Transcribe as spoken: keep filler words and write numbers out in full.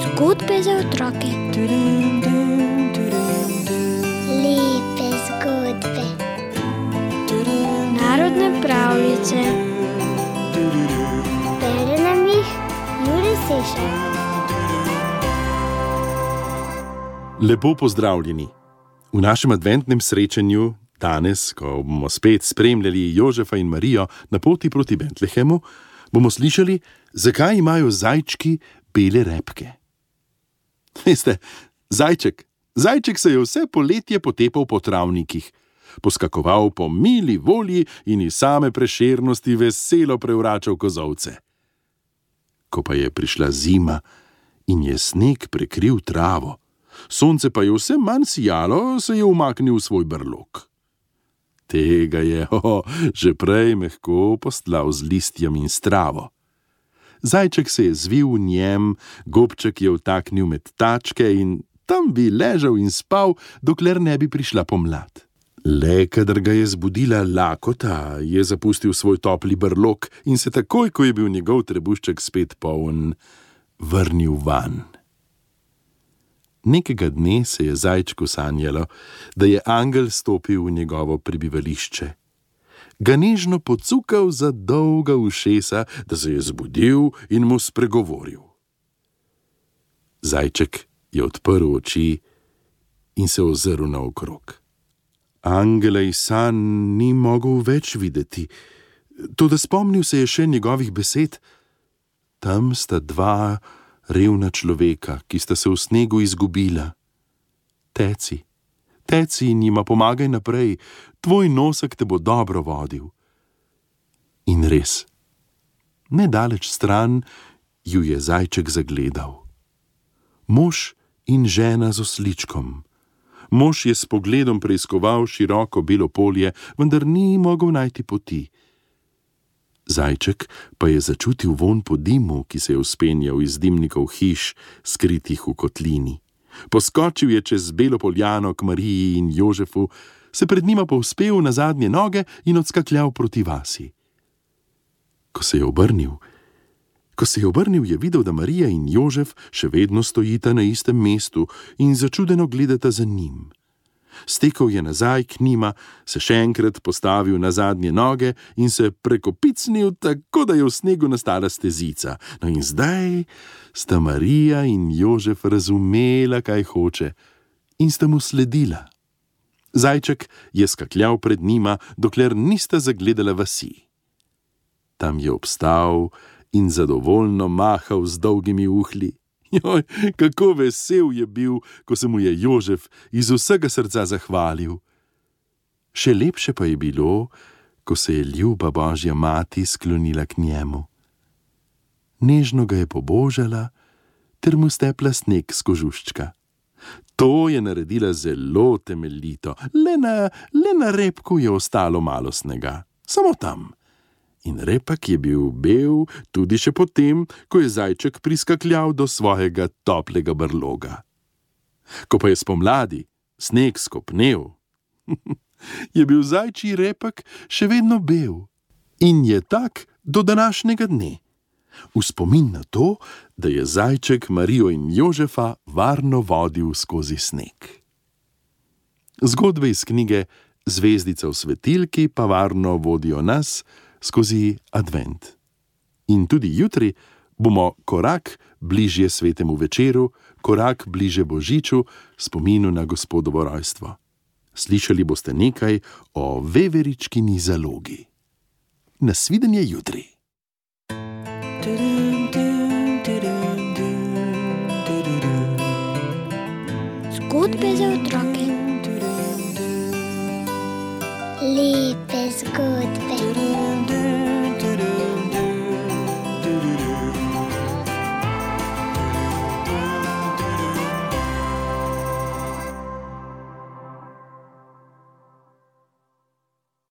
Zgodbe za otroke. Lepe zgodbe. Narodne pravljice. Bere nam jih Jure Sešar. Lepo pozdravljeni. V našem adventnem srečanju danes, ko bomo spet spremljali Jožefa in Marijo na poti proti Betlehemu, bomo slišali, zakaj imajo zajčki bele repke. Veste, zajček, zajček se je vse poletje potepal po travnikih, poskakoval po mili volji in iz same prešernosti veselo prevračal kozolce. Ko pa je prišla zima in je sneg prekril travo, sonce pa je vse manj sijalo, se je umaknil v svoj brlog. Tega je oh, že prej mehko postlal z listjem in s travo. Zajček se je zvil v njem, gobček je vtaknil med tačke in tam bi ležal in spal, dokler ne bi prišla pomlad. Le kadar ga je zbudila lakota, je zapustil svoj topli brlog in se takoj, ko je bil njegov trebušček spet poln, vrnil van. Nekega dne se je zajčku sanjalo, da je angel stopil v njegovo prebivališče. Ga nežno pocukal za dolga ušesa, da se je zbudil in mu spregovoril. Zajček je odprl oči in se ozrl naokrog. Angela iz sanj ni mogel več videti, toda spomnil se je še njegovih besed. Tam sta dva revna človeka, ki sta se v snegu izgubila. Teci, teci in jima pomagaj naprej, tvoj nosek te bo dobro vodil. In res, nedaleč stran ju je zajček zagledal. Mož in žena z osličkom. Mož je s pogledom preiskoval široko belo polje, vendar ni mogel najti poti. Zajček pa je začutil vonj po dimu, ki se je vzpenjal iz dimnikov hiš, skritih v kotlini. Poskočil je čez belo poljano k Mariji in Jožefu, se pred njima povzpel na zadnje noge in odskakljal proti vasi. Ko se je obrnil, ko se je obrnil, je videl, da Marija in Jožef še vedno stojita na istem mestu in začudeno gledata za njim. Stekel je nazaj k njima, se še enkrat postavil na zadnje noge in se prekopicnil, tako da je v snegu nastala stezica. No in zdaj sta Marija in Jožef razumela, kaj hoče, in sta mu sledila. Zajček je skakljal pred njima, dokler nista zagledala vasi. Tam je obstal in zadovoljno mahal z dolgimi uhlji. Joj, kako vesel je bil, ko se mu je Jožef iz vsega srca zahvalil. Še lepše pa je bilo, ko se je ljuba Božja mati sklonila k njemu. Nežno ga je pobožala ter mu stepla sneg s kožuščka. To je naredila zelo temeljito, le na, le na repku je ostalo malo snega, samo tam. In repak je bil bel tudi še potem, ko je zajček priskakljal do svojega toplega brloga. Ko pa je spomladi sneg skopnel, je bil zajčji repak še vedno bel in je tak do današnjega dne. V spomin na to, da je zajček Marijo in Jožefa varno vodil skozi sneg. Zgodbe iz knjige Zvezdica v svetilki pa varno vodijo nas skozi advent. In tudi jutri bomo korak bližje svetemu večeru, korak bliže Božiču, spominu na Gospodovo rojstvo. Slišali boste nekaj o veveričkini zalogi. Nasvidenje jutri. Zgodbe za otroke. Lepe zgodbe.